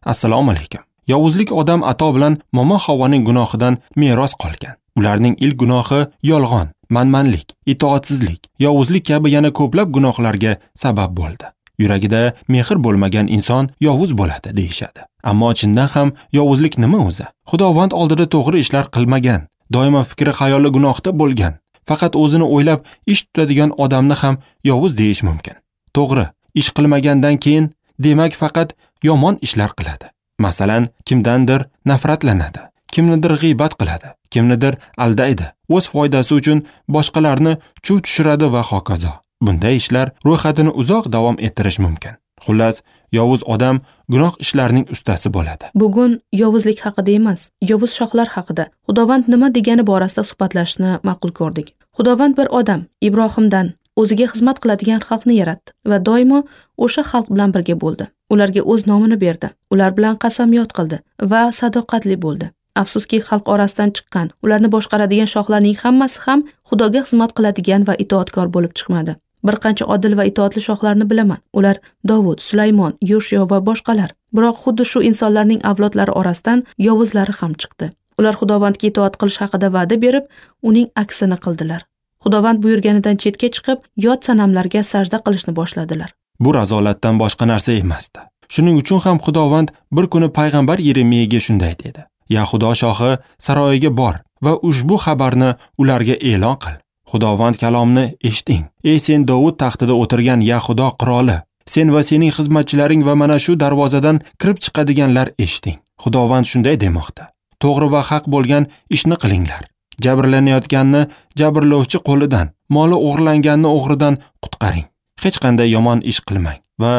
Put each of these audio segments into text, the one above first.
Assalomu alaykum. Yovuzlik odam ato bilan momo Havvoning gunohidan meros qolgan. Ularning ilk gunohi yolg'on, manmanlik, itoatsizlik, yovuzlik kabi yana ko'plab gunohlarga sabab bo'ldi. Yuragida mehr bo'lmagan inson yovuz bo'ladi deyishadi. Ammo chindan ham yovuzlik nima o'zi? Xudovand oldida to'g'ri ishlar qilmagan, doimo fikri xayoli gunohda bo'lgan, faqat o'zini o'ylab ish tutadigan odamni ham yovuz deyish mumkin. To'g'ri, ish qilmagandan keyin demak faqat yomon ishlar qiladi. Masalan, kimdandir nafratlanadi, kimnidir g'iybat qiladi, kimnidir aldaydi, o'z foydasi uchun boshqalarni chuv tushiradi va hokazo. Bunday ishlar ro'yxatini uzoq davom ettirish mumkin. Xullas, yovuz odam gunoh ishlarning ustasi bo'ladi. Bugun yovuzlik haqida emas, yovuz shohlar haqida, Xudovand nima degani borasida suhbatlashishni ma'qul ko'rdik. Xudovand bir odam, Ibrohimdan o'ziga xizmat qiladigan xalqni yaratdi va doimo o'sha xalq bilan birga bo'ldi. Ularga o'z nomini berdi, ular bilan qasamyod qildi va sadoqatli bo'ldi. Afsuski, xalq orasidan chiqqan, ularni boshqaradigan shohlarning hammasi ham Xudoga xizmat qiladigan va itoatkor bo'lib chiqmadi. Bir qancha odil va itoatli shohlarni bilaman. Ular Dovud, Sulaymon, Yoshio va boshqalar. Biroq xuddi shu insonlarning avlodlari orasidan yovuzlari ham chiqdi. Ular Xudovandga itoat qilish haqida va'da berib, uning aksini qildilar. Xudovand buyurganidan chetga chiqib, yot sanamlarga sajda qilishni boshladilar. Bu razolatdan boshqa narsa emasdi. Shuning uchun ham Xudovand bir kuni payg'ambar Yeremiyaga shunday dedi: Yahudo shohi saroyiga bor va ushbu xabarni ularga e'lon qil. Xudovand kalomini eshiting. Ey sen Dovud taxtida o'tirgan Yahudo qiroli, sen va sening xizmatchilaring va mana shu darvozadan kirib chiqadiganlar eshiting. Xudovand shunday demoqda: To'g'ri va haq bo'lgan ishni qilinglar. Jabrlanayotganni jabrlovchi qo'lidan, moli o'g'irlanganni o'g'ridan qutqaring. Hech qanday yomon ish qilmang va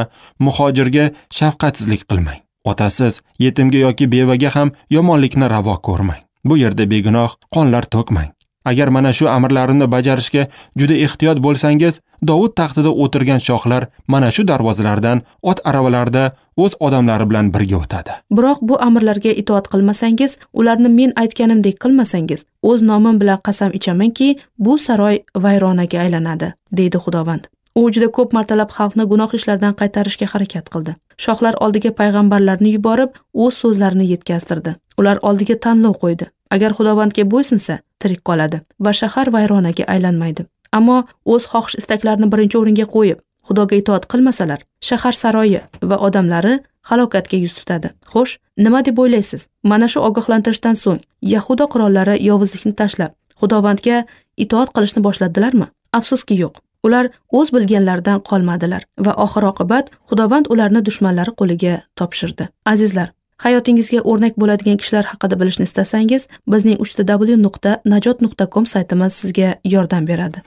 muhojirga shafqatsizlik qilmang. Otasiz, yetimga yoki bevaga ham yomonlikni ravo ko'rmang. Bu yerda begunoh qonlar to'kmang. Agar mana shu amrlarimni bajarishga juda ehtiyot bo'lsangiz, Dovud taxtida o'tirgan shohlar mana shu darvozalardan ot aravalarda o'z odamlari bilan birga o'tadi. Biroq bu amrlarga itoat qilmasangiz, ularni men aytganimdek qilmasangiz, o'z nomim bilan qasam ichamanki, bu saroy vayronaga aylanadi, deydi Xudovand. U juda ko'p martalab xalqni gunoh ishlardan qaytarishga harakat qildi. Shohlar oldiga payg'ambarlarni yuborib, o'z so'zlarini yetkazdirdi. Ular oldiga tanlov qo'ydi. Agar Xudovandga bo'ysunsa, tirik qoladi va shahar vayronaga aylanmaydi. Ammo o'z xohish istaklarini birinchi o'ringa qo'yib, Xudoga itoat qilmasalar, shahar saroyi va odamlari halokatga yuz tutadi. Xo'sh, nima deb o'ylaysiz? Mana shu ogohlantirishdan so'ng Yahuda qirollari yovuzlikni tashlab, Xudovandga itoat qilishni boshladilarmi? Afsuski yo'q. Ular o'z bilganlaridan qolmadilar va oxir oqibat Xudovand ularni dushmanlari qo'liga topshirdi. Azizlar, hayotingizga o'rnak bo'ladigan kishilar haqida bilishni istasangiz, bizning www.najot.com saytimiz sizga yordam beradi.